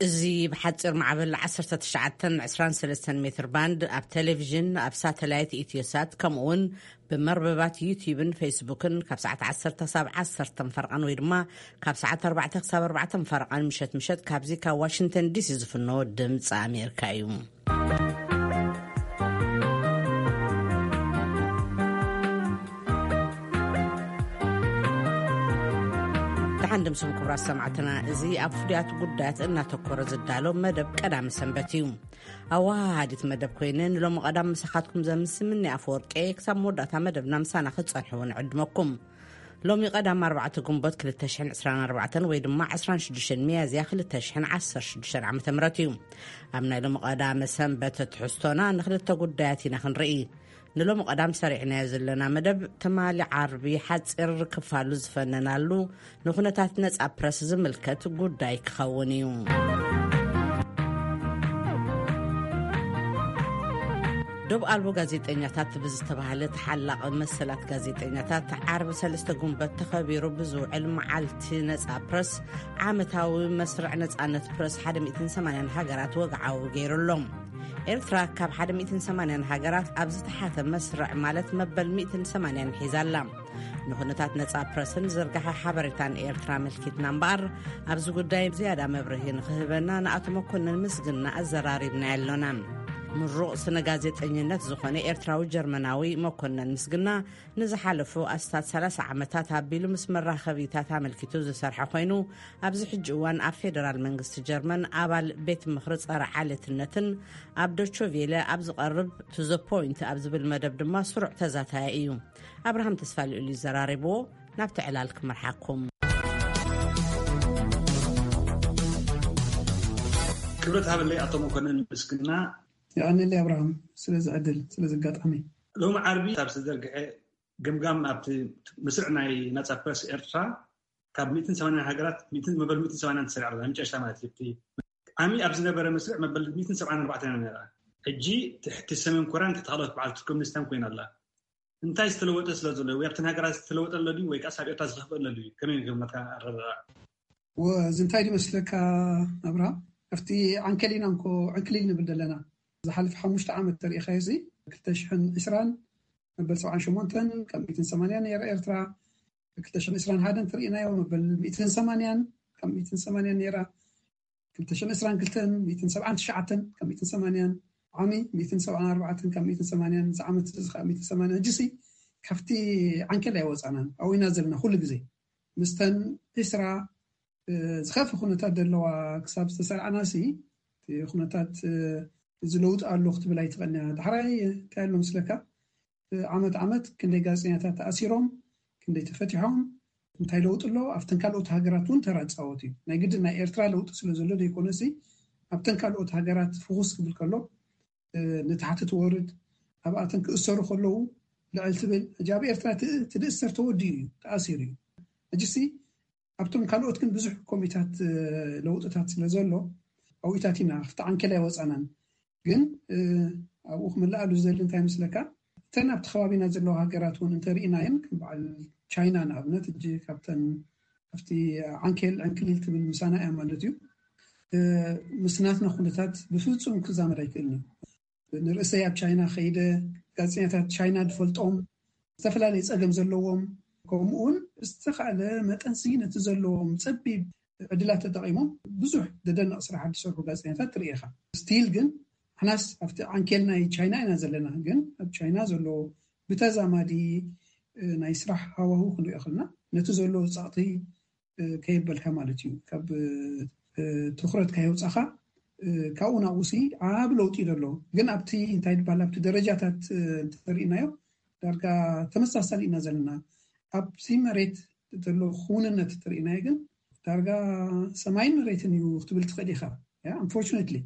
እዚ ብሓፂር ማዕበል ዓሰርተ ትሽዓተ ዕስራን ሰለስተን ሜትር ባንድ ኣብ ቴሌቪዥን፣ ኣብ ሳተላይት ኢትዮሳት፣ ከምኡ እውን ብመርበባት ዩቲዩብን ፌስቡክን ካብ ሰዓት ዓሰርተ ክሳብ ዓሰርተ ፈረቓን ወይ ድማ ካብ ሰዓት ኣርባዕተ ክሳብ ኣርባዕተ ፈረቓን ምሸት ምሸት ካብዚ ካብ ዋሽንግተን ዲሲ ዝፍኖ ድምፂ ኣሜሪካ እዩ። ደሓን ድምስም ክቡራት ሰማዕትና፣ እዚ ኣብ ፍሉያት ጉዳያት እናተኮረ ዝዳሎ መደብ ቀዳሚ ሰንበት እዩ። ኣወሃሃዲት መደብ ኮይነ ንሎሚ ቀዳም ምሳኻትኩም ዘምስምኒ ኣፈወርቄ፣ ክሳብ መወዳእታ መደብና ምሳና ክትጸንሕዎ ንዕድመኩም። ሎሚ ቀዳም ኣርባዕተ ግንቦት ክልተ ሽሕን ዕስራን ኣርባዕተን ወይ ድማ ዕስራን ሽዱሽተን ሚያዝያ ክልተ ሽሕን ዓሰርተ ሽዱሽተን ዓመተ ምህረት እዩ። ኣብ ናይ ሎሚ ቀዳመ ሰንበት ትሕዝቶና ንክልተ ጉዳያት ኢና ክንርኢ። ንሎሚ ቀዳም ሰሪዕናዮ ዘለና መደብ ትማሊ ዓርቢ ሓፂር ክፋሉ ዝፈነናሉ ንኩነታት ነጻ ፕረስ ዝምልከት ጉዳይ ክኸውን እዩ። ዶብ ኣልቦ ጋዜጠኛታት ብዝተባህለ ተሓላቒ መሰላት ጋዜጠኛታት ዓርቢ ሰለስተ ግንቦት ተኸቢሩ ብዝውዕል መዓልቲ ነጻ ፕረስ ዓመታዊ መስርዕ ነጻነት ፕረስ ሓደ ሚእትን ሰማንያን ሃገራት ወግዓዊ ገይሩ ኣሎ። ኤርትራ ካብ ሓደ ሚእትን ሰማንያን ሃገራት ኣብ ዝተሓተ መስርዕ ማለት መበል ሚእትን ሰማንያን ሒዛ ኣላ። ንኩነታት ነጻ ፕረስን ዝርጋሐ ሓበሬታን ኤርትራ ኣመልኪትና እምበኣር፣ ኣብዚ ጉዳይ ዝያዳ መብርሂ ንኽህበና ንኣቶ መኮንን ምስግና ኣዘራሪብና ኣሎና። ምሩቕ ስነ ጋዜጠኝነት ዝኾነ ኤርትራዊ ጀርመናዊ መኮንን ምስግና ንዝሓለፉ ኣስታት ሰላሳ ዓመታት ኣቢሉ ምስ መራኸቢታት ኣመልኪቱ ዝሰርሐ ኮይኑ፣ ኣብዚ ሕጂ እዋን ኣብ ፌደራል መንግስቲ ጀርመን ኣባል ቤት ምኽሪ ጸረ ዓሌትነትን ኣብ ዶቾ ቬለ ኣብ ዝቐርብ ቱ ዘ ፖይንት ኣብ ዝብል መደብ ድማ ስሩዕ ተዛታየ እዩ። ኣብርሃም ተስፋ ልዑል እዩ ዘራሪብዎ። ናብቲ ዕላል ክመርሓኩም። ክብረት ሃበለይ ኣቶ መኮንን ምስግና። የቐንየለይ ኣብርሃም ስለዚ ዕድል፣ ስለዚ ኣጋጣሚ። ሎሚ ዓርቢ ኣብ ዝተዘርግሐ ግምጋም ኣብቲ ምስዕ ናይ ናጻ ፕረስ ኤርትራ ካብ ሚእትን ሰማንያን ሃገራት ሚእትን መበል ሚእትን ሰማንያን ተሰሪዓ ኣላ፣ መጨረሻ ማለት እዩ። እቲ ዓሚ ኣብ ዝነበረ መስርዕ መበል ሚእትን ሰብዓን ኣርባዕተን ነይራ። ሕጂ ትሕቲ ሰሜን ኮርያን ትሕቲ ካልኦት በዓል ትርክምኒስታን ኮይና ኣላ። እንታይ ዝተለወጠ ስለ ዘሎ ወይ ኣብተን ሃገራት ዝተለወጠ ኣሎ ድዩ ወይ ከኣስ ኣብ ኤርትራ ዝኸፍአ ኣሎ ድዩ? ከመይ ገመትካ ኣረዳድኣ? ወ-፣ እዚ እንታይ ድመስለካ ኣብርሃም? ኣብቲ ዓንኬል ኢና እንኮ ዕንክሊል ንብል ዘለና። ዝሓለፈ ሓሙሽተ ዓመት ተሪኢኻዮ እዚ ክልተ ሽሕን ዕስራን መበል ሰብዓን ሸሞንተን ካብ ሚእትን ሰማንያን ነይራ ኤርትራ። ክልተ ሽሕን ዕስራን ሓደን ተሪኢናዮ መበል ሚእትን ሰማንያን ካብ ሚእትን ሰማንያን ነይራ። ክልተ ሽሕን ዕስራን ክልተን ሚእትን ሰብዓን ትሽዓተን ካብ ሚእትን ሰማንያን፣ ዓሚ ሚእትን ሰብዓን ኣርባዕተን ካብ ሚእትን ሰማንያን፣ እዚ ዓመት እዚ ከዓ ሚእትን ሰማንያን። ሕጂሲ ካብቲ ዓንኬል ኣይወፃናን፣ ኣብኡ ኢና ዘለና ኩሉ ግዜ። ምስተን ዕስራ፣ እ፣ ዝኸፍእ ኩነታት ዘለዋ ክሳብ ዝተሰራዕናሲ፣ እቲ ኩነታት፣ እ፣ እዚ ለውጢ ኣሎ ክትብል ኣይትኽእልን እያ። ዳሕራይ እንታይ ኣሎ ምስለካ? ዓመት ዓመት ክንደይ ጋዜጠኛታት ተኣሲሮም፣ ክንደይ ተፈቲሖም፣ እንታይ ለውጢ ኣሎ? ኣብተን ካልኦት ሃገራት እውን ተራ ዝፃወት እዩ። ናይ ግድን ናይ ኤርትራ ለውጢ ስለ ዘሎ ዘይኮነሲ፣ ኣብተን ካልኦት ሃገራት ፍኹስ ክብል ከሎ፣ እ፣ ንታሕቲ ትወርድ፣ ኣብኣተን ክእሰሩ ከለዉ ልዕል ትብል። ሕጂ ኣብ ኤርትራ እቲ፣ እቲ ዝእሰር ተወዲኡ እዩ፣ ተኣሲሩ እዩ። ሕጂሲ ኣብቶም ካልኦት ግን ብዙሕ ኮሚታት፣ እ፣ ለውጥታት ስለ ዘሎ፣ ኣብኡታት ኢና፣ ኣብቲ ዓንኬል ኣይወፃናን። ግን፣ እ፣ ኣብኡ ክምልኣሉ ዝደሊ እንታይ ይመስለካ? እተን ኣብቲ ከባቢና ዘለዋ ሃገራት እውን እንተርኢናየን፣ ከም በዓል ቻይና ንኣብነት፣ ሕጂ ካብተን ኣብቲ ዓንኬል ዕንክሊል ትብል ምሳና እያ ማለት እዩ። እ፣ ምስ ናትና ኩነታት ብፍጹም ክዛመድ ኣይክእልን እዩ። ንርእሰይ ኣብ ቻይና ከይደ፣ ጋዜጠኛታት ቻይና ዝፈልጦም፣ ዝተፈላለየ ጸገም ዘለዎም፣ ከምኡውን ብዝተኻእለ መጠንሲ ነቲ ዘለዎም ጸቢብ ዕድላት ተጠቒሞም ብዙሕ ዘደንቕ ስራሓት ዝሰርሑ ጋዜጠኛታት ትርኢ ኢኻ። ስቲል ግን ንሕናስ ኣብቲ ዓንኬል ናይ ቻይና ኢና ዘለና። ግን ኣብ ቻይና ዘሎ ብተዛማዲ፣ እ፣ ናይ ስራሕ ሃዋሁ ክንሪኦ ከለና ነቲ ዘሎ ጸቕጢ፣ እ፣ ከየበልካ ማለት እዩ። ካብ፣ እ፣ ትኹረት ካየውጻኻ፣ እ፣ ካብኡ ናብኡሲ ዓቢ ለውጢ እዩ ዘሎ። ግን ኣብቲ እንታይ ዝበሃል ኣብቲ ደረጃታት፣ እ፣ እንተሪእናዮ ዳርጋ ተመሳሳሊ ኢና ዘለና። ኣብቲ መሬት ዘሎ ክውንነት እንተሪእናዮ ግን ዳርጋ ሰማይን መሬትን እዩ ክትብል ትኽእል ኢኻ። ያ፣ unfortunately፣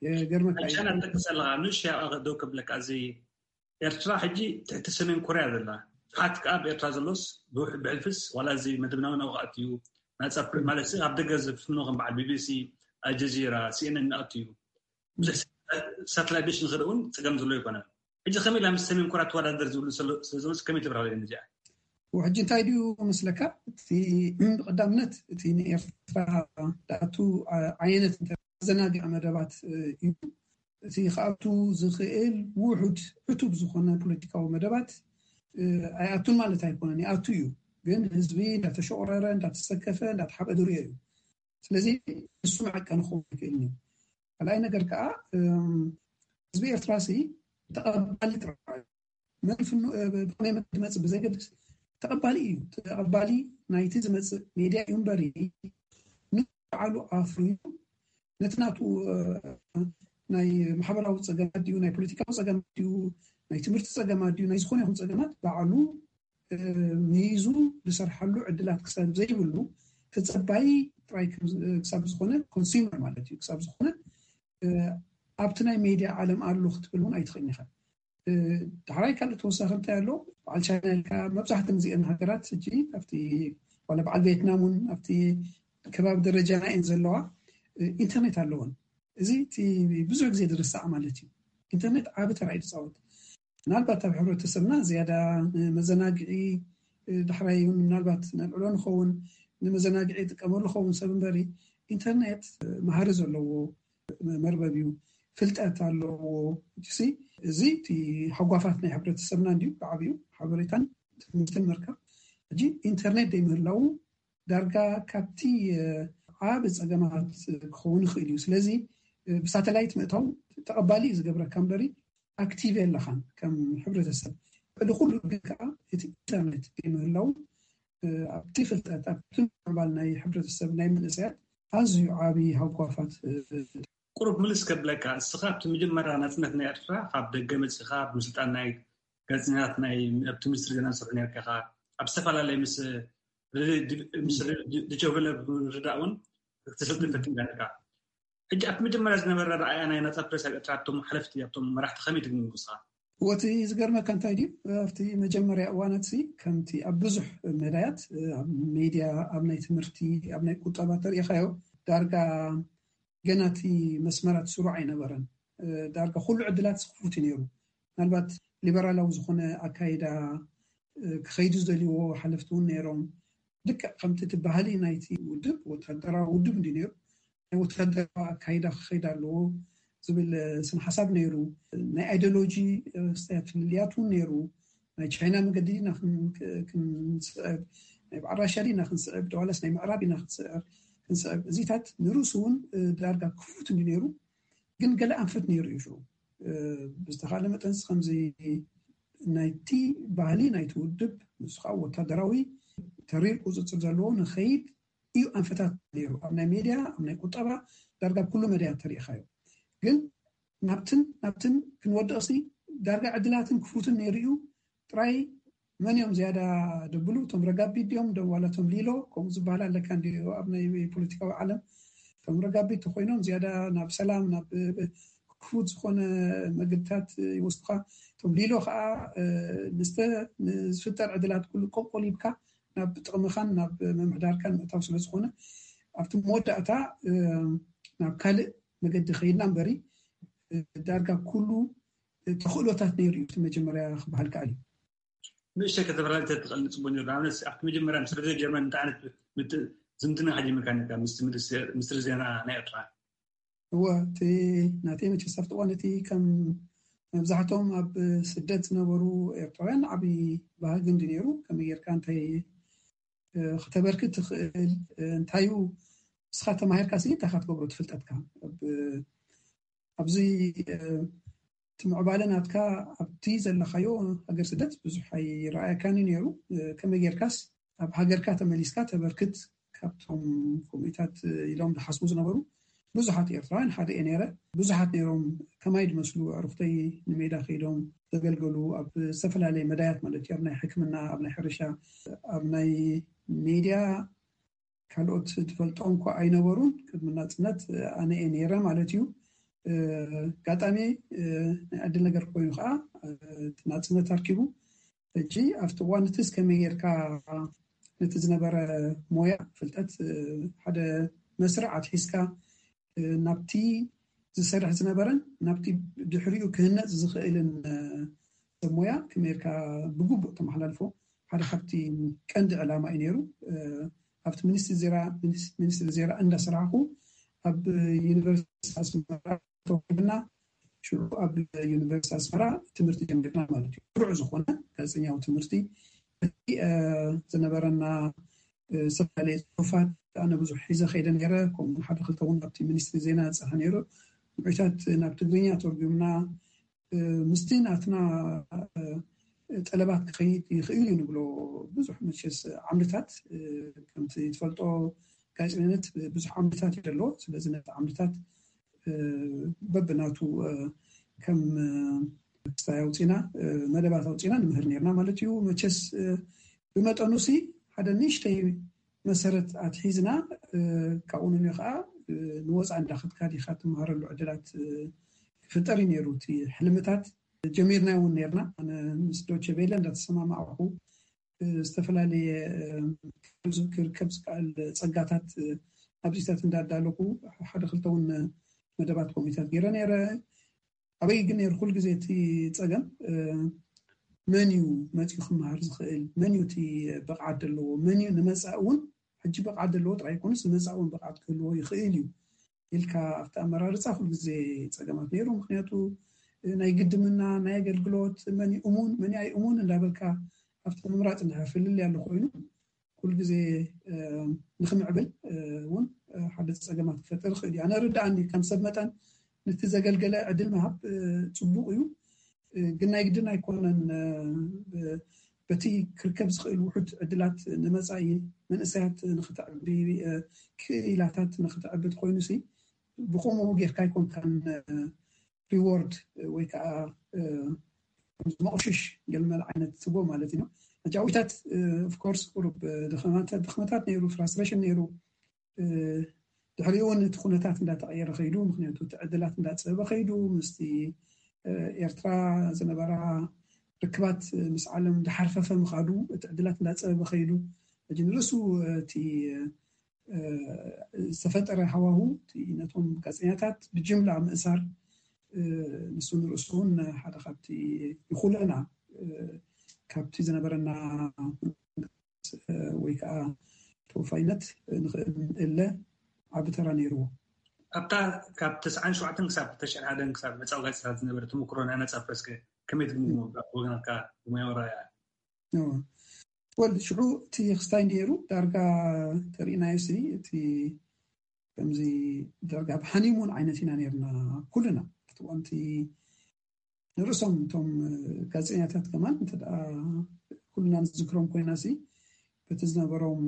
የገርመካ እዩ። ቻይና ትጠቅስ ኣለኻ። ንእሽቶ ደው ከብለካ፣ እዚ ኤርትራ ሕጂ ትሕቲ ሰሜን ኮርያ ዘላ፣ ሓት ከኣ ኣብ ኤርትራ ዘሎስ ብውሕ-፣ ብሕልፍስ ዋላ እዚ መደብናዊ ናብኡ ክኣቱ እዩ። ናጻ ፕረ-፣ ማለት ኣብ ደገ ዝፍኖ ከም በዓል ቢ ቢ ሲ፣ ኣልጀዚራ፣ ሲኤንኤን እናኣቱ እዩ። ብዙሕ ሳተላይት ዲሽ ንክርኢ እውን ፀገም ዘሎ ኣይኮነን። ሕጂ ከመይ ኢላ ምስ ሰሜን ኮርያ ትወዳደር ዝብሉ ስለ ዝመፁ ከመይ ትብራለይ እዚኣ? ሕጂ እንታይ ድዩ መስለካ? እቲ ብቐዳምነት እቲ ንኤርትራ ዳኣቱ ዓይነት እንተ ዘናግዕ መደባት እዩ። እቲ ክኣቱ ዝኽእል ውሑድ ዕቱብ ዝኾነ ፖለቲካዊ መደባት ኣይኣቱን ማለት ኣይኮነን፣ ይኣቱ እዩ። ግን ህዝቢ እንዳተሸቆረረ፣ እንዳተሰከፈ፣ እንዳተሓበደሩ እዩ። ስለዚ ንሱ መዐቀኒ ክኸውን ይኽእል እዩ። ካልኣይ ነገር ከዓ ህዝቢ ኤርትራ ሲ ተቐባሊ ጥራይ መን ፍኑ ብኸመይ መገዲ መጽእ ብዘይገድስ ተቐባሊ እዩ። ተቐባሊ ናይቲ ዝመጽእ ሜድያ እዩ እምበሪ ንባዕሉ ኣፍርዩ ነቲ ናቱ ናይ ማሕበራዊ ጸገማት ድዩ፣ ናይ ፖለቲካዊ ጸገማት ድዩ፣ ናይ ትምህርቲ ጸገማት ድዩ፣ ናይ ዝኾነ ይኹን ጸገማት ባዕሉ ሚይዙ ዝሰርሓሉ ዕድላት ክሳብ ዘይብሉ ተጸባይ ጥራይ ክሳብ ዝኾነ፣ ኮንሱመር ማለት እዩ፣ ክሳብ ዝኾነ ኣብቲ ናይ ሜድያ ዓለም ኣሎ ክትብል እውን ኣይትኽእልን ኢኻ። ዳሕራይ ካልእ ተወሳኺ እንታይ ኣሎ? በዓል ቻይና ኢልካ መብዛሕተን እዚአን ሃገራት ሕጂ ኣብቲ ዋላ በዓል ቬትናም እውን ኣብቲ ከባቢ ደረጃና እየን ዘለዋ፣ ኢንተርኔት ኣለወን። እዚ እቲ ብዙሕ ግዜ ዝርሳዕ ማለት እዩ። ኢንተርኔት ዓቢ ተራ እዩ ዝፃወት። ምናልባት ኣብ ሕብረተሰብና ዝያዳ ንመዘናግዒ ዳሕራይ እውን ምናልባት ነልዕሎ ንኸውን፣ ንመዘናግዒ ይጥቀመሉ ኸውን ሰብ እምበሪ ኢንተርኔት መሃሪ ዘለዎ መርበብ እዩ፣ ፍልጠት ኣለዎ። ሕጂ እዚ እቲ ሃጓፋት ናይ ሕብረተሰብና እንድዩ ብዓብዩ ሓበሬታን ትምህርትን ምርካብ። ሕጂ ኢንተርኔት ዘይምህላው ዳርጋ ካብቲ ዓቢ ጸገማት ክኸውን ይኽእል እዩ። ስለዚ ብሳተላይት ምእታው ተቐባሊ እዩ ዝገብረካ እምበሪ ኣክቲቭ የለኻን ከም ሕብረተሰብ። ልዕሊ ኩሉ ግን ከዓ እቲ ኢንተርኔት ዘይምህላው ኣብቲ ፍልጠት ኣብቲ ምዕባል ናይ ሕብረተሰብ ናይ መንእሰያት ኣዝዩ ዓቢ ሃጓፋት። ቁሩብ ምልስ ከብለካ፣ እስኻ ኣብቲ መጀመርያ ናጽነት ናይ ኤርትራ ካብ ደገ መጺኻ ኣብ ምስልጣን ናይ ጋዜጠኛታት ናይ ኣብቲ ሚኒስትሪ ዜና ትሰርሕ ነርካ ኢኻ። ኣብ ዝተፈላለየ ምስ ዶቸቨለ ርዳእ እውን ክትስልጥን ፈቲንካ ነርካ። ሕጂ ኣብቲ መጀመርያ ዝነበረ ረኣያ ናይ ናጻ ፕረስ ኣብ ኤርትራ ኣብቶም ሓለፍቲ ኣብቶም መራሕቲ ከመይ ትግምግም ንስኻ? እቲ ዝገርመካ እንታይ ድዩ ኣብቲ መጀመርያ እዋናት ሲ ከምቲ ኣብ ብዙሕ መዳያት ኣብ ሜድያ ኣብ ናይ ትምህርቲ ኣብ ናይ ቁጠባ ተሪኢኻዮ ዳርጋ ገና እቲ መስመራት ስሩዕ ኣይነበረን። ዳርጋ ኩሉ ዕድላት ክፉት እዩ ነይሩ። ምናልባት ሊበራላዊ ዝኾነ ኣካይዳ ክኸይዱ ዝደልይዎ ሓለፍቲ እውን ነይሮም። ልክዕ ከምቲ እቲ ባህሊ ናይቲ ውድብ ወታደራዊ ውድብ እንዲ ነይሩ ናይ ወታደራዊ ኣካይዳ ክኸይድ ኣለዎ ዝብል ስነ ሓሳብ ነይሩ። ናይ ኣይዲዮሎጂ ስተያት ፍልልያት እውን ነይሩ። ናይ ቻይና መገዲ ኢና ክንስዕብ፣ ናይ በዓል ራሻ ኢና ክንስዕብ፣ ደዋላስ ናይ ምዕራብ ኢና ክንስዕብ። እዚታት ንርእሱ እውን ዳርጋ ክፉት እንዲ ነይሩ፣ ግን ገለ ኣንፈት ነይሩ እዩ። ሽዑ ብዝተኻለ መጠንስ ከምዚ ናይቲ ባህሊ ናይቲ ውድብ ንሱ ከዓ ወታደራዊ ተሪር ቁፅፅር ዘለዎ ንኸይድ እዩ ኣንፈታት ነይሩ። ኣብ ናይ ሜድያ ኣብ ናይ ቁጠባ ዳርጋ ኩሉ መድያ ተሪኢኻዮ። ግን ናብትን ናብትን ክንወድቕሲ ዳርጋ ዕድላትን ክፉትን ነይሩ እዩ። ጥራይ መን እዮም ዝያዳ ደብሉ? እቶም ረጋቢት ድዮም ዋላ እቶም ሊሎ ከምኡ ዝበሃል ኣለካ እንዲ ኣብ ናይ ፖለቲካዊ ዓለም? እቶም ረጋቢት ተኮይኖም ዝያዳ ናብ ሰላም ናብ ክፉት ዝኾነ መገድታት ይወስዱካ። እቶም ሊሎ ከዓ ንዝፍጠር ዕድላት ኩሉ ቆቆሊብካ ናብ ጥቕምኻን ናብ ምምሕዳርካን ምእታው ስለዝኾነ ኣብቲ መወዳእታ ናብ ካልእ መገዲ ከይድና እምበሪ ዳርጋ ኩሉ ተኽእሎታት ነይሩ እዩ። እቲ መጀመርያ ክበሃል ከኣል እዩ። ንእሽተይ ከተፈላልተ ትኽእል ንፅቡቅ ነይሩ። ንኣብነት ኣብቲ መጀመርያ ምስ ሬድዮ ጀርመን እንታይ ዓይነት ዝምድና ከጀሚርካ ነርካ? ምስ ሚኒስትሪ ዜና ናይ ኤርትራ? እወ፣ እቲ ናተይ መቸስ ኣብቲ እዋን እቲ ከም መብዛሕትኦም ኣብ ስደት ዝነበሩ ኤርትራውያን ዓብዪ ባህጊ እንዲ ነይሩ። ከመይ ጌርካ እንታይ ክተበርክት ትኽእል? እንታዩ ንስኻ ተማሂርካ ሲ እንታይ ክትገብሮ ትፍልጠትካ? ኣብዚ እቲ ምዕባለ ናትካ ኣብቲ ዘለኻዮ ሃገር ስደት ብዙሕ ኣይረኣየካን እዩ ነይሩ። ከመይ ጌርካስ ኣብ ሃገርካ ተመሊስካ ተበርክት? ካብቶም ከምኡታት ኢሎም ዝሓስቡ ዝነበሩ ብዙሓት ኤርትራውያን ሓደ እየ ነይረ። ብዙሓት ነይሮም ከማይ ዝመስሉ ኣዕሩኽተይ ንሜዳ ከይዶም ዘገልገሉ ኣብ ዝተፈላለየ መዳያት ማለት እዩ፣ ኣብ ናይ ሕክምና፣ ኣብ ናይ ሕርሻ፣ ኣብ ናይ ሜድያ ካልኦት ዝፈልጦም እኳ ኣይነበሩን። ቅድሚ ናጽነት ኣነ እየ ነይረ ማለት እዩ። ኣጋጣሚ ናይ ዕድል ነገር ኮይኑ ከዓ ናጽነት ኣርኪቡ ሕጂ ኣብቲ እዋን እቲ እስከመይ ጌርካ ነቲ ዝነበረ ሞያ ፍልጠት ሓደ መስርዕ ኣትሒዝካ ናብቲ ዝሰርሕ ዝነበረን ናብቲ ድሕሪኡ ክህነፅ ዝኽእልን ሰብ ሞያ ከመይ ጌርካ ብግቡእ ተመሓላልፎ ሓደ ካብቲ ቀንዲ ዕላማ እዩ ነይሩ። ኣብቲ ሚኒስትሪ ዜና እንዳሰራሕኩ ኣብ ዩኒቨርሲቲ ኣስመራ ተወሂብና ሽዑ ኣብ ዩኒቨርሲቲ ኣስመራ ትምህርቲ ጀሚርና ማለት እዩ። ስሩዕ ዝኾነ ጋዜጠኛዊ ትምህርቲ ዝነበረና ዝተፈላለየ ፅሑፋት ኣነ ብዙሕ ሒዘ ከይደ ነይረ። ከምኡ ሓደ ክልተ እውን ኣብቲ ሚኒስትሪ ዜና ዝፀሓ ነይሩ። ምዑታት ናብ ትግርኛ ተርጉምና ምስቲ ናትና ጠለባት ክኸይድ ይኽእል እዩ ንብሎ ብዙሕ መቸስ ዓምድታት ከምቲ ትፈልጦ ጋዜጠነት ብዙሕ ዓምድታት እዩ ዘለዎ። ስለዚ ነቲ ዓምድታት በብናቱ ከም ክስታይ ኣውፂና መደባት ኣውፂና ንምህር ነርና ማለት እዩ። መቸስ ብመጠኑ ሲ ሓደ ንእሽተይ መሰረት ኣትሒዝና ካብኡ ንዮ ከዓ ንወፃ እንዳኸድካ ዲካ ትመሃረሉ ዕድላት ክፍጠር እዩ ነይሩ። እቲ ሕልምታት ጀሚርና እውን ነርና። ኣነ ምስ ዶቼ ቬለ እንዳተሰማማዕኩ ዝተፈላለየ ክርከብ ዝከኣል ፀጋታት ኣብዚታት እንዳዳለኩ ሓደ ክልተ እውን መደባት ኮሚታት ገይረ ነይረ። ኣበይ ግን ነይሩ ኩሉ ግዜ እቲ ፀገም መን እዩ መፅኡ ክመሃር ዝኽእል፣ መን እዩ እቲ ብቕዓት ዘለዎ፣ መን እዩ ንመፃኢ እውን ሕጂ ብቕዓት ዘለዎ ጥራይ ይኮኑስ ንመፃኢ እውን ብቕዓት ክህልዎ ይኽእል እዩ ኢልካ ኣብቲ ኣመራርፃ ኩሉ ግዜ ፀገማት ነይሩ። ምክንያቱ ናይ ግድምና ናይ ኣገልግሎት መን እዩ እሙን መን ኣይ እሙን እንዳበልካ ኣብቲ ምምራፅ እንድሕር ፍልልይ ኣሎ ኮይኑ ኩሉ ግዜ ንክምዕብል እውን ሓደ ፀገማት ክፈጥር ይኽእል እዩ። ኣነ ርድኣኒ ከም ሰብ መጠን ነቲ ዘገልገለ ዕድል ምሃብ ፅቡቅ እዩ። ግን ናይ ግድን ኣይኮነን። በቲ ክርከብ ዝኽእል ውሑድ ዕድላት ንመፃኢ መንእሰያት ንክተዕቢ ክኢላታት ንክተዕቢ ኮይኑ ሲ ብከምኡ ጌርካ ኣይኮንካን ሪዎርድ ወይ ከዓ መቑሽሽ ገልመል ዓይነት ትቦ ማለት እዩ። ሕጂ ኣዊታት ኦፍኮርስ ቁሩብ ድኽመታት ነይሩ፣ ፍራስትሬሽን ነይሩ። ድሕሪኡ እውን እቲ ኩነታት እንዳተቐየረ ከይዱ፣ ምክንያቱ እቲ ዕድላት እንዳፀበበ ከይዱ፣ ምስቲ ኤርትራ ዝነበራ ርክባት ምስ ዓለም እንዳሓርፈፈ ምኻዱ፣ እቲ ዕድላት እንዳፀበበ ከይዱ፣ ሕጂ ንርእሱ እቲ ዝተፈጠረ ሃዋሁ ነቶም ጋዜጠኛታት ብጅምላ ምእሳር ንሱ ንርእሱ እውን ሓደ ካብቲ ይኹለና ካብቲ ዝነበረና ወይ ከዓ ተወፋይነት ንኽእል እለ ዓቢ ተራ ነይርዎ። ኣብታ ካብ ተስዓን ሸውዓተን ክሳብ ተሽዓን ሓደን ክሳብ ነፃ ጋዜጣታት ዝነበረ ተመክሮ ናይ ነፃ ፕረስ ከመይ ትግምግሞ ወገናትካ ብሞያዊ ረኣያ? ወል ሽዑ እቲ ክስታይ ነይሩ ዳርጋ ተርእናዮ ሲ እቲ ከምዚ ዳርጋ ብሃኒሙን ዓይነት ኢና ነርና ኩልና ኣብቲ ንርእሶም እቶም ጋዜጠኛታት ከማን እንተ ኩልና ንዝክሮም ኮይና ሲ በቲ ዝነበሮም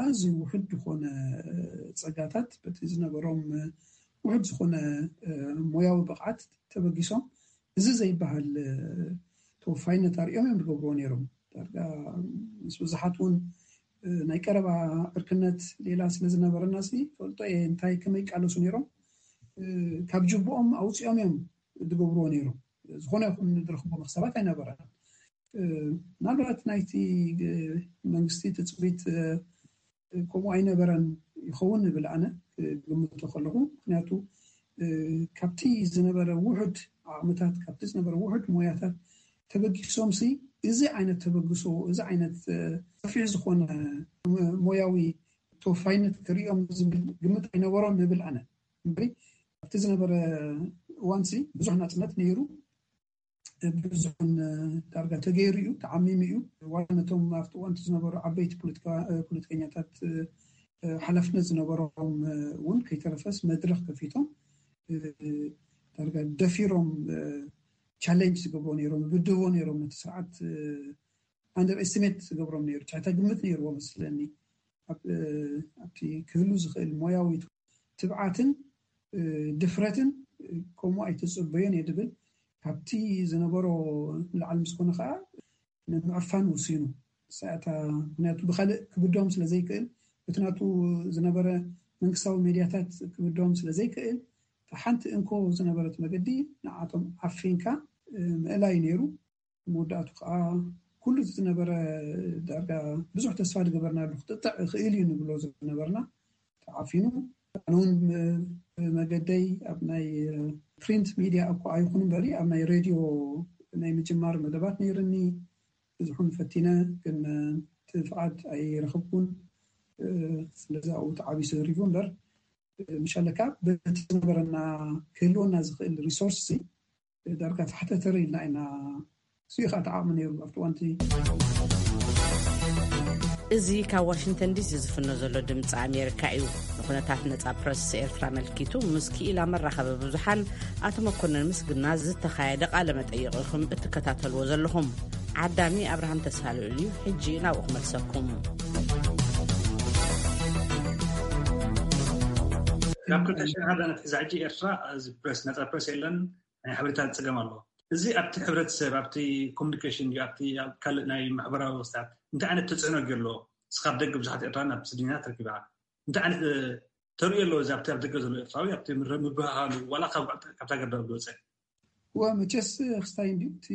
ኣዝዩ ውሑድ ዝኾነ ፀጋታት በቲ ዝነበሮም ውሑድ ዝኾነ ሞያዊ ብቕዓት ተበጊሶም እዚ ዘይበሃል ተወፋይነት ኣርእዮም እዮም ዝገብርዎ ነይሮም። ዳርጋ ምስ ብዙሓት እውን ናይ ቀረባ ዕርክነት ሌላ ስለ ዝነበረና ሲ ፈልጦ እየ እንታይ ከመይ ይቃለሱ ነይሮም። ካብ ጅብኦም ኣውፂኦም እዮም ዝገብርዎ ነይሮም። ዝኾነ ይኹን ዝረኽቦ መክሰባት ኣይነበረን። ምናልባት ናይቲ መንግስቲ ትፅቢት ከምኡ ኣይነበረን ይኸውን ንብል ኣነ ግምቶ ከለኹ። ምክንያቱ ካብቲ ዝነበረ ውሑድ ዓቕምታት ካብቲ ዝነበረ ውሑድ ሞያታት ተበጊሶም ሲ እዚ ዓይነት ተበግሶ እዚ ዓይነት ሰፊሕ ዝኾነ ሞያዊ ተወፋይነት ክርእዮም ዝብል ግምት ኣይነበሮም ንብል ኣነ። እምበሪ ኣብቲ ዝነበረ እዋን ሲ ብዙሕ ናፅነት ነይሩ። ብዙሕን ዳርጋ ተገይሩ እዩ ተዓሚሙ እዩ። ዋላ ነቶም ኣብቲ እዋንቲ ዝነበሩ ዓበይቲ ፖለቲከኛታት ሓላፍነት ዝነበሮም እውን ከይተረፈስ መድረክ ከፊቶም ዳርጋ ደፊሮም ቻሌንጅ ዝገብሮ ነይሮም ይብድህዎ ነይሮም ነቲ ስርዓት ኣንደር ኤስቲሜት ዝገብሮም ነይሩ ትሕተ ግምት ነይርዎ መስለኒ። ኣብቲ ክህሉ ዝኽእል ሞያዊ ትብዓትን ድፍረትን ከምኡ ኣይተፀበዮን እየ ድብል ካብቲ ዝነበሮ ንላዕሊ ምስ ኮነ ከዓ ንምዕፋን ወሲኑ ሰኣታ ምክንያቱ ብካልእ ክብዶም ስለዘይክእል በቲ ናቱ ዝነበረ መንግስታዊ ሜድያታት ክብዶም ስለዘይክእል ሓንቲ እንኮ ዝነበረት መገዲ ንዓቶም ዓፊንካ ምእላይ ነይሩ። መወዳእቱ ከዓ ኩሉ ዝነበረ ዳርጋ ብዙሕ ተስፋ ዝገበርናሉ ክጥጥዕ ይኽእል እዩ ንብሎ ዝነበርና ተዓፊኑ ኣነ እውን መገደይ ኣብ ናይ ፕሪንት ሚድያ እኳ ኣይኹን እምበሪ ኣብ ናይ ሬድዮ ናይ ምጅማር መደባት ነይርኒ። ብዙሕን ፈቲነ፣ ግን እቲ ፍቓድ ኣይረኸብኩን። ስለዚ ኣብኡ ተዓቢሱ ህሪፉ እምበር፣ ምሻለካ በቲ ዝነበረና ክህልወና ዝኽእል ሪሶርስ ዳርጋ ታሕተ ተር ኢልና ኢና። እዚኡ ከዓ ተዓቕሚ ነይሩ ኣብቲ እዋንቲ። እዚ ካብ ዋሽንግተን ዲሲ ዝፍኖ ዘሎ ድምፂ ኣሜሪካ እዩ። ንኩነታት ነፃ ፕረስ ኤርትራ ኣመልኪቱ ምስ ክኢላ መራኸቢ ብዙሓን ኣቶ መኮነን ምስግና ዝተኻየደ ቃለ መጠይቕ ኢኹም እትከታተልዎ ዘለኹም። ዓዳሚ ኣብርሃም ተስፋልዑል እዩ። ሕጂ ናብኡ ክመልሰኩም። ካብ ክልተ ሽሕን ሓደን ኣትሒዛ ሕጂ ኤርትራ እዚ ፕረስ፣ ነፃ ፕረስ የለን፣ ናይ ሓበሬታ ዝፀገም ኣሎ። እዚ ኣብቲ ሕብረተሰብ፣ ኣብቲ ኮሙኒኬሽን ድዩ፣ ኣብቲ ኣብ ካልእ ናይ ማሕበራዊ ክስታት እንታይ ዓይነት ተፅዕኖ ገይሩ ኣሎ? እስኻ ኣብ ደገ ብዙሓት ኤርትራውያን ኣብ ስደተኛታት ረኪብካ፣ እንታይ ዓይነት ተርእዮ ኣለዎ? እዚ ኣብቲ ኣብ ደገ ዘሎ ኤርትራዊ ኣብቲ ምረ-፣ ምብህሃሉ ዋላ ካብ ካብታ ገርዳ ዝወፀ እወ፣ መቸስ ክስታይ እንድዩ እቲ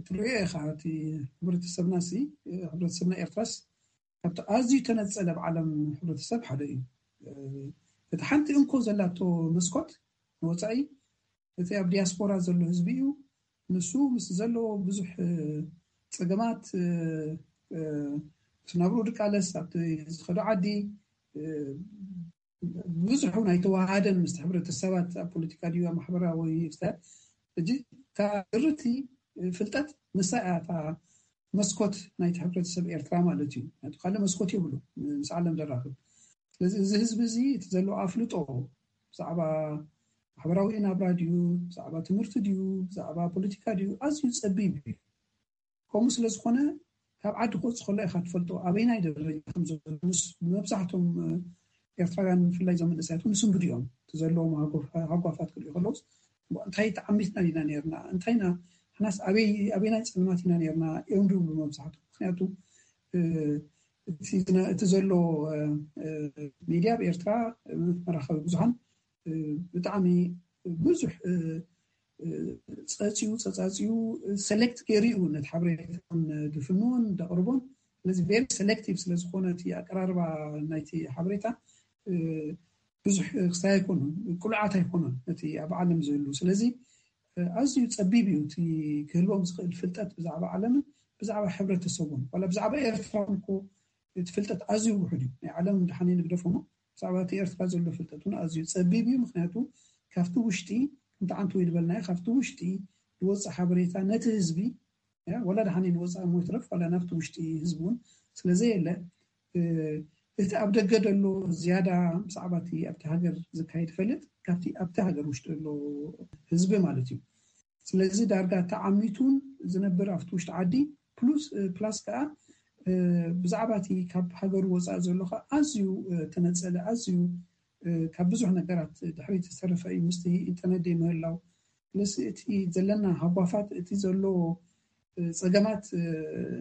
ትርእዮ ኢኻ። እቲ ሕብረተሰብና ሲ ሕብረተሰብና ኤርትራስ ካብቲ ኣዝዩ ተነጸለ ኣብ ዓለም ሕብረተሰብ ሓደ እዩ። እቲ ሓንቲ እንኮ ዘላቶ መስኮት ንወጻኢ እቲ ኣብ ዲያስፖራ ዘሎ ህዝቢ እዩ። ንሱ ምስ ዘለዎ ብዙሕ ጸገማት፣ እቲ ናብርኡ ድቃለስ ኣብቲ ዝኸዶ ዓዲ ብዙሕ እውን ኣይተዋሃደን ምስቲ ሕብረተሰባት ኣብ ፖለቲካ ድዩ ኣብ ማሕበራዊ ፍትሐት። ሕጂ እታ ድርቲ ፍልጠት ንሳ እያ እታ መስኮት ናይቲ ሕብረተሰብ ኤርትራ ማለት እዩ። ናቱ ካልእ መስኮት የብሉ ምስ ዓለም ዘራኽብ። ስለዚ እዚ ህዝቢ እዚ እቲ ዘለዎ ኣፍልጦ ብዛዕባ ማሕበራዊ ናብራ ድዩ፣ ብዛዕባ ትምህርቲ ድዩ፣ ብዛዕባ ፖለቲካ ድዩ ኣዝዩ ጸቢብ እዩ። ከምኡ ስለ ዝኾነ ካብ ዓዲ ክወፅእ ከሎ ኢኻ ትፈልጦ ኣበይናይ ደረጃ ከም ዘሎ። ምስ መብዛሕቶም ኤርትራውያን ብፍላይ እዞም መንእሰያት እውን ዝስንብዱ እዮም። እቲ ዘለዎም ሃጓፋት ክሪኡ ከለውስ እንታይ ተዓሚትና ኢና ነርና፣ እንታይ ኢና ንሕናስ ኣበይናይ ፀልማት ኢና ነርና እዮም ዝብሉ መብዛሕቶም። ምክንያቱ እቲ ዘሎ ሚድያ ኣብ ኤርትራ መራኸቢ ብዙሓን ብጣዕሚ ብዙሕ ፀፅዩ ፀፃፅዩ ሰሌክት ገይሩ እዩ ነቲ ሓበሬታን ድፍንዎን ደቕርቦን። ስለዚ ቨሪ ሰሌክቲቭ ስለዝኾነ እቲ ኣቀራርባ ናይቲ ሓበሬታ ብዙሕ ክስታይ ኣይኮኑን፣ ቅሉዓት ኣይኮኑን እቲ ኣብ ዓለም ዝህሉ። ስለዚ ኣዝዩ ፀቢብ እዩ እቲ ክህልዎም ዝኽእል ፍልጠት ብዛዕባ ዓለምን ብዛዕባ ሕብረተሰቡን። ዋላ ብዛዕባ ኤርትራ እኮ እቲ ፍልጠት ኣዝዩ ውሑድ እዩ። ናይ ዓለም ድሓን ንግደፎሞ ብዛዕባ እቲ ኤርትራ ዘሎ ፍልጠት እውን ኣዝዩ ፀቢብ እዩ። ምክንያቱ ካብቲ ውሽጢ ከምቲ ዓንቱ ወይ ዝበልናዮ ካብቲ ውሽጢ ዝወፅእ ሓበሬታ ነቲ ህዝቢ ወላ ድሓን ንወፃኢ ሞ ይትረፍ ዋላ ናብቲ ውሽጢ ህዝቢ እውን ስለዘየለ እቲ ኣብ ደገ ዘሎ ዝያዳ ብዛዕባ እቲ ኣብቲ ሃገር ዝካየድ ይፈልጥ ካብቲ ኣብቲ ሃገር ውሽጢ ዘሎ ህዝቢ ማለት እዩ። ስለዚ ዳርጋ ተዓሚቱን ዝነብር ኣብቲ ውሽጢ ዓዲ ፕሉስ ፕላስ ከዓ ብዛዕባ እቲ ካብ ሃገሩ ወፃኢ ዘሎ ከዓ ኣዝዩ ተነፀለ ኣዝዩ ካብ ብዙሕ ነገራት ድሕሪት ዝተረፈ እዩ ምስቲ ኢንተርነት ደይ ምህላው። ስለዚ እቲ ዘለና ሃጓፋት እቲ ዘሎ ፀገማት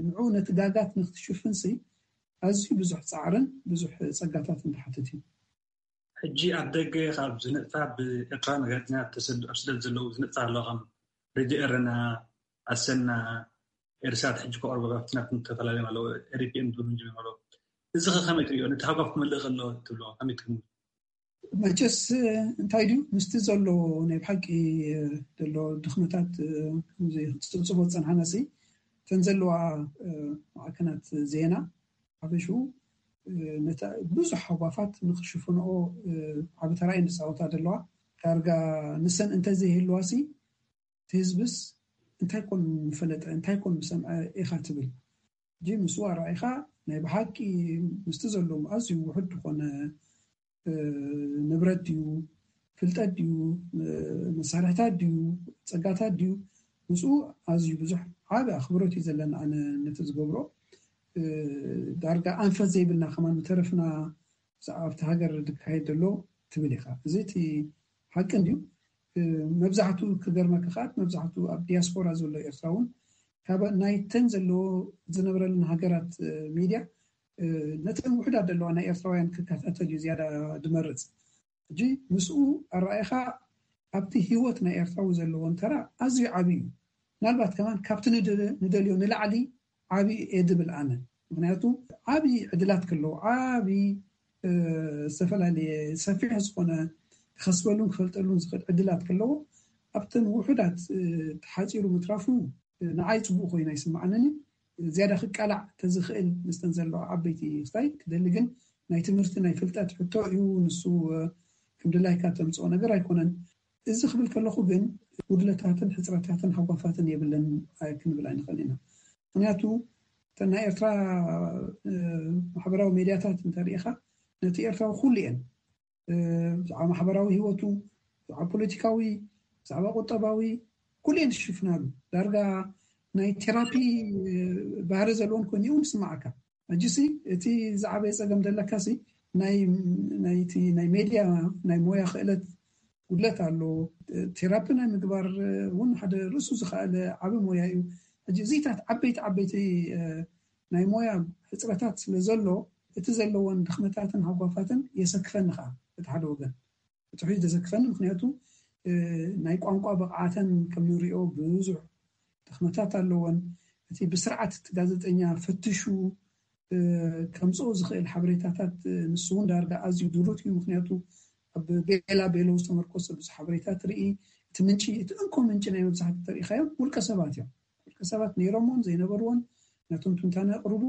ንዑ ነቲ ጋጋት ንክትሽፍንሲ ኣዝዩ ብዙሕ ፃዕርን ብዙሕ ፀጋታትን ዝሓትት እዩ። ሕጂ ኣብ ደገ ካብ ዝንጥፋ ብኤርትራውያን ጋዜጠኛታት ተሰድ ኣብ ስደት ዘለዉ ዝንጥፋ ኣሎ ከም ሬድዮ ኤረና ኣሰና ኤርሳት ሕጂ ከቕርቦ ካብቲ ናብቲ ዝተፈላለዩ ኣለዉ ሪፒኤም ዝብሉ ጀሚሩ ኣለዉ። እዚ ከ ከመይ ትሪኦ? ነቲ ሃጓፍ ክመልእ ከሎ ትብሎ ከመይ ትግምት? መቸስ እንታይ ድዩ ምስቲ ዘሎ ናይ ብሓቂ ዘሎ ድኽመታት ከምዚ ክፅብፅቦ ዝፀንሓና ሲ እተን ዘለዋ ማዕከናት ዜና ሓፈሽኡ ነታ ብዙሕ ሃጓፋት ንክሽፍንኦ ዓቢ ተራእየን ዝፃወታ ዘለዋ ዳርጋ ንሰን እንተዘይህልዋ ሲ እቲ ህዝብስ እንታይ ኮን ምፈለጠ እንታይ ኮን ምሰምዐ ኢኻ ትብል። ሕጂ ምስኡ ኣረኣኢኻ ናይ ብሓቂ ምስቲ ዘለዎም ኣዝዩ ውሑድ ዝኾነ ንብረት ድዩ ፍልጠት ድዩ መሳርሕታት ድዩ ፀጋታት ድዩ ምስኡ ኣዝዩ ብዙሕ ዓቢ ኣኽብሮት እዩ ዘለና። ኣነ ነቲ ዝገብሮ ዳርጋ ኣንፈት ዘይብልና ከማን ምተረፍና ብዛዕባ ኣብቲ ሃገር ዝካየድ ዘሎ ትብል ኢኻ። እዚ እቲ ሓቂ እንድዩ። መብዛሕቱ ክገርመካ ከኣ መብዛሕቱ ኣብ ዲያስፖራ ዘሎ ኤርትራ እውን ካብ ናይተን ዘለዎ ዝነብረለን ሃገራት ሚድያ ነተን ውሕዳት ዘለዋ ናይ ኤርትራውያን ክከታተል እዩ ዝያዳ ዝመርፅ። ሕጂ ምስኡ ኣረኣኢኻ ኣብቲ ህይወት ናይ ኤርትራዊ ዘለዎን ተራ ኣዝዩ ዓብዪ እዩ። ምናልባት ከማን ካብቲ ንደልዮ ንላዕሊ ዓብዪ እየ ዝብል ኣነ። ምክንያቱ ዓብዪ ዕድላት ከለዉ ዓብዪ ዝተፈላለየ ሰፊሕ ዝኾነ ክኸስበሉን ክፈልጠሉን ዝኽእል ዕድላት ከለዎ ኣብተን ውሑዳት ተሓፂሩ ምትራፉ ንዓይ ፅቡቅ ኮይኑ ኣይስምዓንን። ዝያዳ ክቃላዕ ተዝኽእል ምስተን ዘለዋ ዓበይቲ ክስታይ ክደሊ ግን ናይ ትምህርቲ ናይ ፍልጠት ሕቶ እዩ። ንሱ ከም ድላይካ ተምፅኦ ነገር ኣይኮነን። እዚ ክብል ከለኹ ግን ጉድለታትን ሕፅረታትን ሃጓፋትን የብለን ክንብል ኣይንኽእል ኢና። ምክንያቱ እተን ናይ ኤርትራ ማሕበራዊ ሜድያታት እንተሪኢኻ ነቲ ኤርትራዊ ኩሉ እየን። ብዛዕባ ማሕበራዊ ህይወቱ፣ ብዛዕባ ፖለቲካዊ፣ ብዛዕባ ቁጠባዊ ኩሉ እየን ዝሽፍናሉ። ዳርጋ ናይ ቴራፒ ባህሪ ዘለዎን ኮይኑ እውን ይስማዓካ። ሕጂሲ እቲ ዝዓበየ ጸገም ዘለካሲ ናይ ናይቲ ናይ ሜድያ ናይ ሞያ ክእለት ጉድለት ኣሎ። ቴራፒ ናይ ምግባር እውን ሓደ ርእሱ ዝኸኣለ ዓቢ ሞያ እዩ። ሕጂ እዚታት ዓበይቲ ዓበይቲ ናይ ሞያ ሕፅረታት ስለ ዘሎ እቲ ዘለወን ድኽመታትን ሃጓፋትን የሰክፈኒ ከዓ እቲ ሓደ ወገን እቲ ሕጂ ዘሰክፈኒ ምክንያቱ ናይ ቋንቋ ብቕዓተን ከም ንሪኦ ብዙሕ ድኽመታት ኣለወን። እቲ ብስርዓት እቲ ጋዜጠኛ ፈትሹ ከምፅኦ ዝኽእል ሓበሬታታት ንሱ እውን ዳርጋ ኣዝዩ ድሩት እዩ። ምክንያቱ ኣብ ቤላ ቤሎ ዝተመርኮሰ ብዙሕ ሓበሬታ ትርኢ። እቲ ምንጪ እቲ እንኮ ምንጪ ናይ መብዛሕትኡ ተሪኢኻዮም ውልቀ ሰባት እዮም። ውልቀ ሰባት ነይሮምዎን ዘይነበርዎን ናቶም ትንታነ የቕርቡ።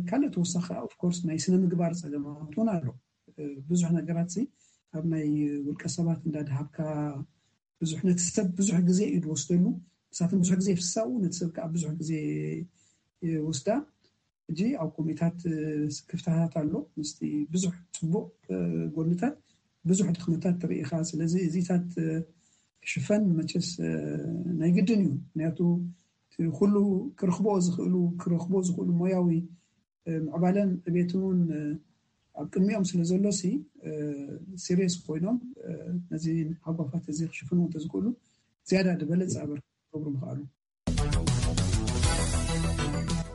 ካልእ ተወሳኺ ኦፍኮርስ ናይ ስነ ምግባር ፀገማት እውን ኣሎ። ብዙሕ ነገራት ሲ ኣብ ናይ ውልቀ ሰባት እንዳድሃብካ ብዙሕ ነቲ ሰብ ብዙሕ ግዜ እዩ ዝወስደሉ። ንሳቶም ብዙሕ ግዜ ይፍሳኡ ነቲ ሰብ ከዓ ብዙሕ ግዜ ይወስዳ። ሕጂ ኣብ ኮሚታት ክፍተታት ኣሎ ምስቲ ብዙሕ ፅቡቅ ጎንታት ብዙሕ ድኽመታት ትርኢ ኢኻ። ስለዚ እዚታት ክሽፈን መቸስ ናይ ግድን እዩ። ምክንያቱ ኩሉ ክረኽቦ ዝኽእሉ ክረኽቦ ዝኽእሉ ሞያዊ ምዕባለን ዕቤትን እውን ኣብ ቅድሚኦም ስለ ዘሎ ሲ ሲሪየስ ኮይኖም ነዚ ሃጓፋት እዚ ክሽፍኑ እንተዝኽእሉ ዝያዳ ዝበለፀ ኣበርክቶ ክገብሩ ምኽኣሉ።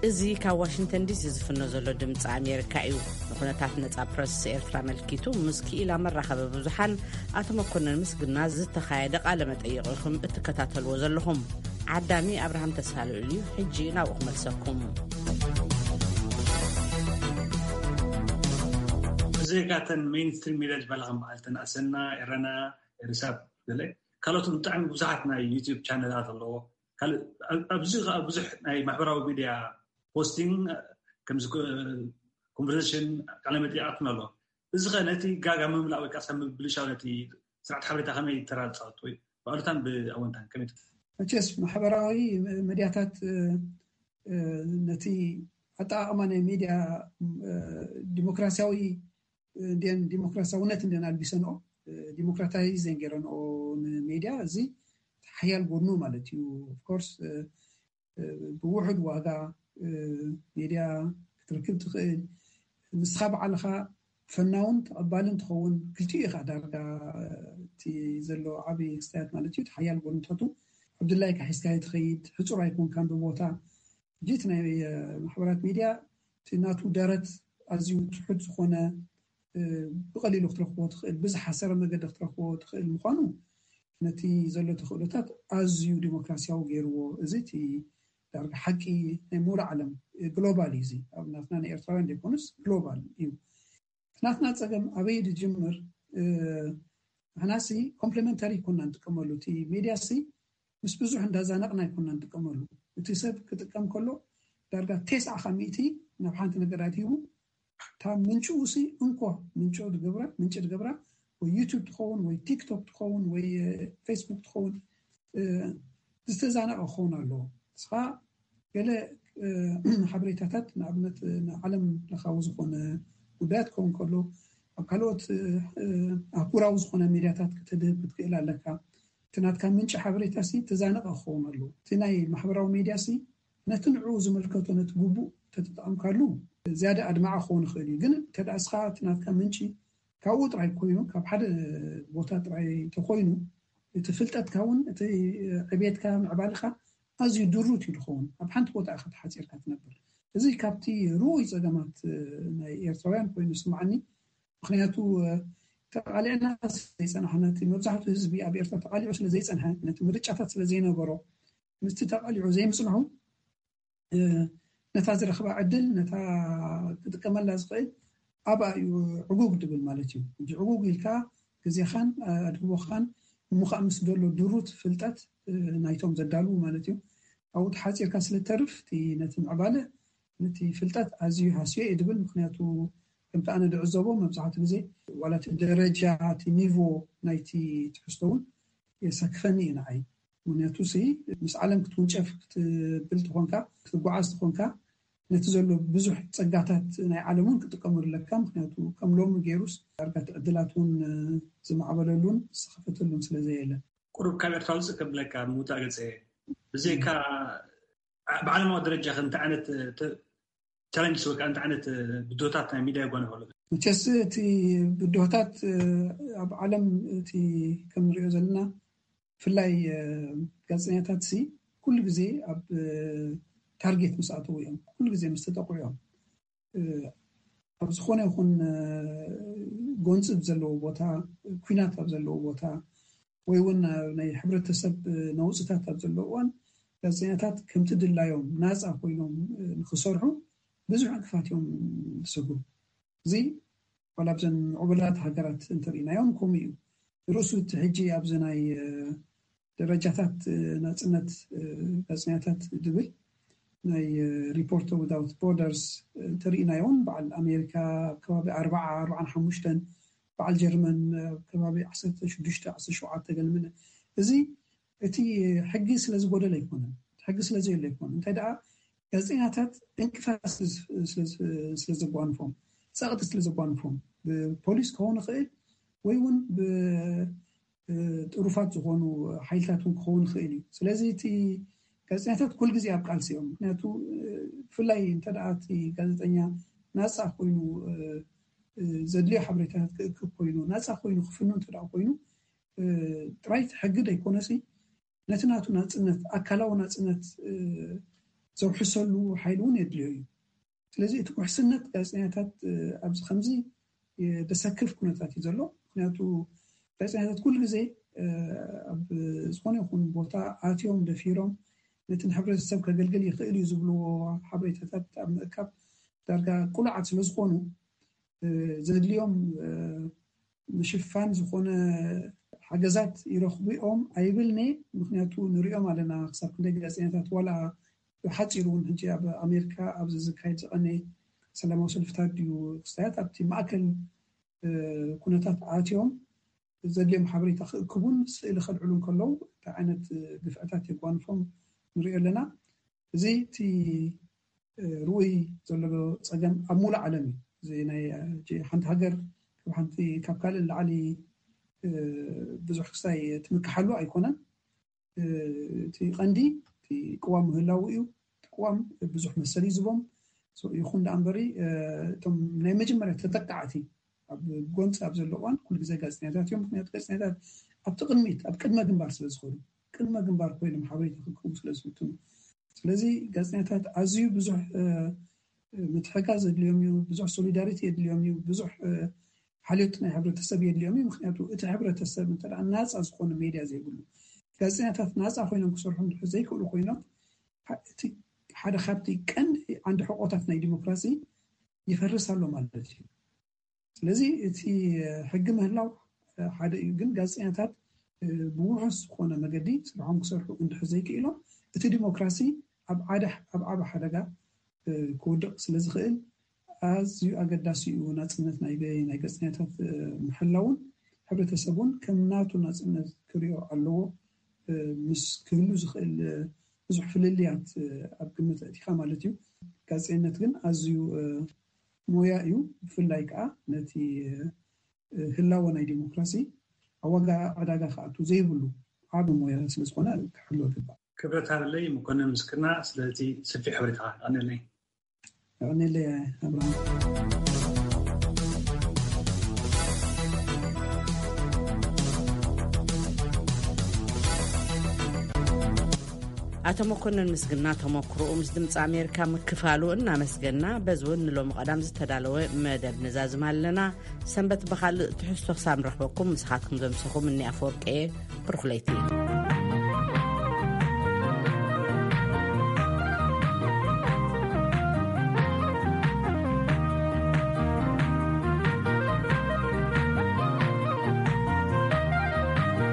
እዚ ካብ ዋሽንግተን ዲሲ ዝፍኖ ዘሎ ድምፂ ኣሜሪካ እዩ። ንኩነታት ነፃ ፕረስ ኤርትራ ኣመልኪቱ ምስ ክኢላ መራኸቢ ብዙሓን ኣቶ መኮነን ምስግና ዝተኻየደ ቃለ መጠይቕ ኢኹም እትከታተልዎ ዘለኹም። ዓዳሚ ኣብርሃም ተስፋልዑል እዩ። ሕጂ ናብኡ ክመልሰኩም። እዚ ካብተን ሜይንስትሪም ሚድያ ዝበሃላ ከም በዓል ተን ኣሰና፣ ኤረና፣ ኤሪሳት ገለ ካልኦት ብጣዕሚ ብዙሓት ናይ ዩቲዩብ ቻነላት ኣለዎ። ካልእ ኣብ- ኣብዚ ከዓ ብዙሕ ናይ ማሕበራዊ ሚድያ ፖስቲንግ ከምዚ ኮንቨርሴሽን ቃለ መጠይቃትን ኣሎ። እዚ ከ ነቲ ጋጋ ምምላእ ወይ ከዓ ሰብ ምብልሻው ነቲ ስርዓት ሓበሬታ ከመይ ተራ ዝፃወት ወይ ብኣሉታን ብኣወንታን ከመይ ትት- መቸስ ማሕበራዊ መድያታት እ፣ እ፣ ነቲ ኣጠቃቅማ ናይ ሚድያ እ፣ ዲሞክራሲያዊ እንዲን ዲሞክራሲያውነት እንዲን ኣልቢሰንኦ ዲሞክራታይዝ ገይረንኦ ንሜድያ እዚ ሓያል ጎድኑ ማለት እዩ። ኦፍኮርስ ብውሑድ ዋጋ ሜድያ ክትረክብ ትኽእል። ንስኻ በዓልኻ ፈናውን ተቐባልን ትኸውን። ክልቲኡ ኢኻ ዳርጋ እቲ ዘሎ ዓብዪ ክስታያት ማለት እዩ። እቲ ሓያል ጎንታቱ ኣብ ድላይካ ሒዝካዮ ትኸይድ፣ ሕጹር ኣይኮንካን ብቦታ። ሕጂ እቲ ናይ ማሕበራት ሚድያ እቲ ናቱ ደረት ኣዝዩ ትሑት ዝኾነ ብቐሊሉ ክትረኽቦ ትኽእል ብዝሓሰረ መገዲ ክትረኽቦ ትኽእል ምዃኑ ነቲ ዘሎ ተኽእሎታት ኣዝዩ ዲሞክራሲያዊ ገይርዎ። እዚ እቲ ዳርጋ ሓቂ ናይ ሙሉእ ዓለም ግሎባል እዩ። እዚ ኣብ ናትና ናይ ኤርትራውያን ዘይኮኑስ ግሎባል እዩ። እቲ ናትና ፀገም ኣበይ ዝጅምር? ንሕናሲ ኮምፕሊመንተሪ ኮና ንጥቀመሉ። እቲ ሜድያ ሲ ምስ ብዙሕ እንዳዛነቕና ኣይኮና ንጥቀመሉ። እቲ ሰብ ክጥቀም ከሎ ዳርጋ ቴስዓ ካብ ሚእቲ ናብ ሓንቲ ነገር ኣድሂቡ እታ ምንጭኡ ሲ እንኮ ምንጭ ዝገብራ ምንጭ ዝገብራ ወይ ዩቱብ ትኸውን ወይ ቲክቶክ ትኸውን ወይ ፌስቡክ ትኸውን ዝተዛነቐ ክኸውን ኣለዎ። ንስኻ ገለ ሓበሬታታት ንኣብነት ንዓለም ለኻዊ ዝኾነ ጉዳያት ክኸውን ከሎ ኣብ ካልኦት ኣህጉራዊ ዝኾነ ሚድያታት ክትድህብ ክትክእል ኣለካ። እቲ ናትካ ምንጪ ሓበሬታ ሲ ተዛነቐ ክኸውን ኣለዎ። እቲ ናይ ማሕበራዊ ሚድያ ሲ ነቲ ንዕኡ ዝምልከቶ ነቲ ግቡእ ተተጠቐምካሉ ዝያዳ ኣድማዒ ክኸውን ይኽእል እዩ። ግን እንተ ደኣ እስኻ እቲ ናትካ ምንጪ ካብኡ ጥራይ ኮይኑ ካብ ሓደ ቦታ ጥራይ ተኮይኑ እቲ ፍልጠትካ እውን እቲ ዕቤትካ ምዕባልኻ ኣዝዩ ድሩት እዩ ዝኸውን። ኣብ ሓንቲ ቦታ ኢኻ ተሓፂርካ ትነብር። እዚ ካብቲ ርኡይ ፀገማት ናይ ኤርትራውያን ኮይኑ ይስምዓኒ። ምክንያቱ ተቃሊዕና ዘይፀናሕና እቲ መብዛሕትኡ ህዝቢ ኣብ ኤርትራ ተቃሊዑ ስለ ዘይፀንሐ ነቲ ምርጫታት ስለ ዘይነበሮ ምስቲ ተቃሊዑ ዘይምፅንሑ ነታ ዝረኽባ ዕድል ነታ ክጥቀመላ ዝኽእል ኣብኣ እዩ ዕጉግ ድብል ማለት እዩ። ሕጂ ዕጉግ ኢልካ ግዜኻን ኣድህቦኻን ምዃእ ምስ ዘሎ ድሩት ፍልጠት ናይቶም ዘዳልዉ ማለት እዩ። ኣብኡ ተሓፂርካ ስለ ተርፍ እቲ ነቲ ምዕባለ ነቲ ፍልጠት ኣዝዩ ሃስዮ እየ ድብል። ምክንያቱ ከምቲ ኣነ ድዕዘቦ መብዛሕትኡ ግዜ ዋላ እቲ ደረጃ እቲ ኒቮ ናይቲ ትሕዝቶ እውን የሳክፈኒ እዩ ንዓይ። ምክንያቱ ሲ ምስ ዓለም ክትውንጨፍ ክትብል ትኾንካ ክትጓዓዝ ትኾንካ ነቲ ዘሎ ብዙሕ ጸጋታት ናይ ዓለም እውን ክጥቀመሉ ኣለካ። ምክንያቱ ከም ሎሚ ገይሩስ ዳርጋ እቲ ዕድላት እውን ዝማዕበለሉን ዝኸፈተሉን ስለ ዘየለ። ቁሩብ ካብ ኤርትራ ውፅእ ከብለካ ምውፃእ ገፀ ብዘይካ ብዓለማዊ ደረጃ ከ እንታይ ዓይነት ቻለንጅስ ወይ ከዓ እንታይ ዓይነት ብድሆታት ናይ ሚድያ የጓንፎ ኣሎ? መቸስ እቲ ብድሆታት ኣብ ዓለም እቲ ከም ንሪኦ ዘለና ብፍላይ ጋዜጠኛታት ሲ ኩሉ ግዜ ኣብ ታርጌት ምስ ኣተዉ እዮም፣ ኩሉ ግዜ ምስ ተጠቕዑ እዮም። ኣብ ዝኾነ ይኹን ጎንፂ ኣብ ዘለዎ ቦታ፣ ኩናት ኣብ ዘለዎ ቦታ ወይ እውን ናይ ሕብረተሰብ ነውፅታት ኣብ ዘለዎ እዋን ጋዜጠኛታት ከምቲ ድላዮም ናፃ ኮይኖም ንክሰርሑ ብዙሕ ዕንቅፋት እዮም ዝሰግሩ። እዚ ዋላ ኣብዘን ምዕቡላት ሃገራት እንተሪኢናዮም ከምኡ እዩ። ርእሱ እቲ ሕጂ ኣብዚ ናይ ደረጃታት ናፅነት ጋዜጠኛታት ድብል ናይ ሪፖርተር ዊዛውት ቦርደርስ እንተሪኢናዮ እውን በዓል ኣሜሪካ ኣብ ከባቢ ኣርባዓ ኣርባዓን ሓሙሽተን በዓል ጀርመን ኣብ ከባቢ ዓሰርተ ሽዱሽተ ዓሰርተ ሸውዓተ ገለ ምለ እዚ እቲ ሕጊ ስለ ዝጎደለ ኣይኮነን፣ ሕጊ ስለ ዘየሎ ኣይኮነን። እንታይ ደኣ ጋዜጠኛታት ዕንቅፋት ስለ ዘጓንፎም፣ ፀቕጢ ስለ ዘጓንፎም ብፖሊስ ክኸውን ይኽእል ወይ እውን ብጥሩፋት ዝኾኑ ሓይልታት እውን ክኸውን ይኽእል እዩ። ስለዚ እቲ ጋዜጠኛታት ኩል ግዜ ኣብ ቃልሲ እዮም። ምክንያቱ ብፍላይ እንተ ደኣ እቲ ጋዜጠኛ ናፃ ኮይኑ ዘድልዮ ሓበሬታታት ክእክብ ኮይኑ ናፃ ኮይኑ ክፍኑ እንተ ደኣ ኮይኑ ጥራይ ሕጊ ደይኮነሲ ነቲ ናቱ ናፅነት ኣካላዊ ናፅነት ዘውሕሰሉ ሓይሊ እውን የድልዮ እዩ። ስለዚ እቲ ውሕስነት ጋዜጠኛታት ኣብዚ ከምዚ ደሰክፍ ኩነታት እዩ ዘሎ። ምክንያቱ ጋዜጠኛታት ኩሉ ግዜ ኣብ ዝኾነ ይኹን ቦታ ኣትዮም ደፊሮም ነቲ ንሕብረተሰብ ከገልግል ይኽእል እዩ ዝብልዎ ሓበሬታታት ኣብ ምእካብ ዳርጋ ቁሉዓት ስለ ዝኾኑ ዘድልዮም ምሽፋን ዝኾነ ሓገዛት ይረኽቡ እዮም ኣይብልኒ። ምክንያቱ ንሪኦም ኣለና ክሳብ ክንደይ ጋዜጠኛታት ዋላ ብሓፂሩ እውን ሕጂ ኣብ ኣሜሪካ ኣብዚ ዝካየድ ዝቐነ ሰላማዊ ሰልፍታት ድዩ ክስታያት ኣብቲ ማእከል ኩነታት ኣትዮም ዘድልዮም ሓበሬታ ክእክቡን ስእሊ ከልዕሉ ከለዉ እንታይ ዓይነት ግፍዕታት የጓንፎም ንሪኦ ኣለና። እዚ እቲ ርኡይ ዘሎ ፀገም ኣብ ሙሉእ ዓለም እዩ። እዚ ናይ ሓንቲ ሃገር ካብ ሓንቲ ካብ ካልእ ንላዕሊ ብዙሕ ክስታይ ትምክሓሉ ኣይኮነን። እቲ ቀንዲ እቲ ቅዋም ምህላው እዩ። እቲ ቅዋም ብዙሕ መሰል እዩ ዝቦም ይኹን ደኣ እምበሪ እቶም ናይ መጀመርያ ተጠቃዕቲ ኣብ ጎንፂ ኣብ ዘሎ እዋን ኩሉ ግዜ ጋዜጠኛታት እዮም። ምክንያቱ ጋዜጠኛታት ኣብቲ ቅድሚት ኣብ ቅድመ ግንባር ስለ ዝኸዱ ቅድመ ግንባር ኮይኖም ሓበሬታ ክክቡ ስለ ዝፍትኑ ስለዚ ጋዜጠኛታት ኣዝዩ ብዙሕ ምትሕጋዝ የድልዮም እዩ፣ ብዙሕ ሶሊዳሪቲ የድልዮም እዩ፣ ብዙሕ ሓልዮት ናይ ሕብረተሰብ የድልዮም እዩ። ምክንያቱ እቲ ሕብረተሰብ እንተ ናፃ ዝኾነ ሜድያ ዘይብሉ ጋዜጠኛታት ናፃ ኮይኖም ክሰርሑ እንድሕር ዘይክእሉ ኮይኖም እቲ ሓደ ካብቲ ቀንዲ ዓንዲ ሕቆታት ናይ ዲሞክራሲ ይፈርስ ኣሎ ማለት እዩ። ስለዚ እቲ ሕጊ ምህላው ሓደ እዩ፣ ግን ጋዜጠኛታት ብውሑስ ዝኾነ መገዲ ስርሖም ክሰርሑ እንድሕር ዘይክኢሎም እቲ ዲሞክራሲ ኣብ ዓደ ኣብ ዓቢ ሓደጋ ክወድቕ ስለ ዝኽእል ኣዝዩ ኣገዳሲ እዩ ናጽነት ናይ ናይ ጋዜጠኛታት ምሕላውን ሕብረተሰብ እውን ከም ናቱ ናጽነት ክሪኦ ኣለዎ። ምስ ክህሉ ዝኽእል ብዙሕ ፍልልያት ኣብ ግምት ኣእቲኻ ማለት እዩ። ጋዜጠኝነት ግን ኣዝዩ ሞያ እዩ። ብፍላይ ከዓ ነቲ ህላወ ናይ ዲሞክራሲ ኣብ ዋጋ ዕዳጋ ክኣቱ ዘይብሉ ዓቢ ሞያ ስለ ዝኾነ ክሕሎ ይግባእ። ክብረት ሃበለይ መኮንን ምስክርና ስለቲ ሰፊሕ ሓበሬታኻ። የቐንየለይ። የቐንየለይ ኣብርሃም። ኣቶ መኮንን ምስግና ተመክሮኡ ምስ ድምፂ ኣሜሪካ ምክፋሉ እናመስገና በዚ እውን ንሎሚ ቀዳም ዝተዳለወ መደብ ንዛዝም ኣለና። ሰንበት ብኻልእ ትሕዝቶ ክሳብ ንረኽበኩም ምሳኻትኩም ዘምሰኹም እኒ ኣፈወርቂ እየ። ብሩኽ ለይቲ።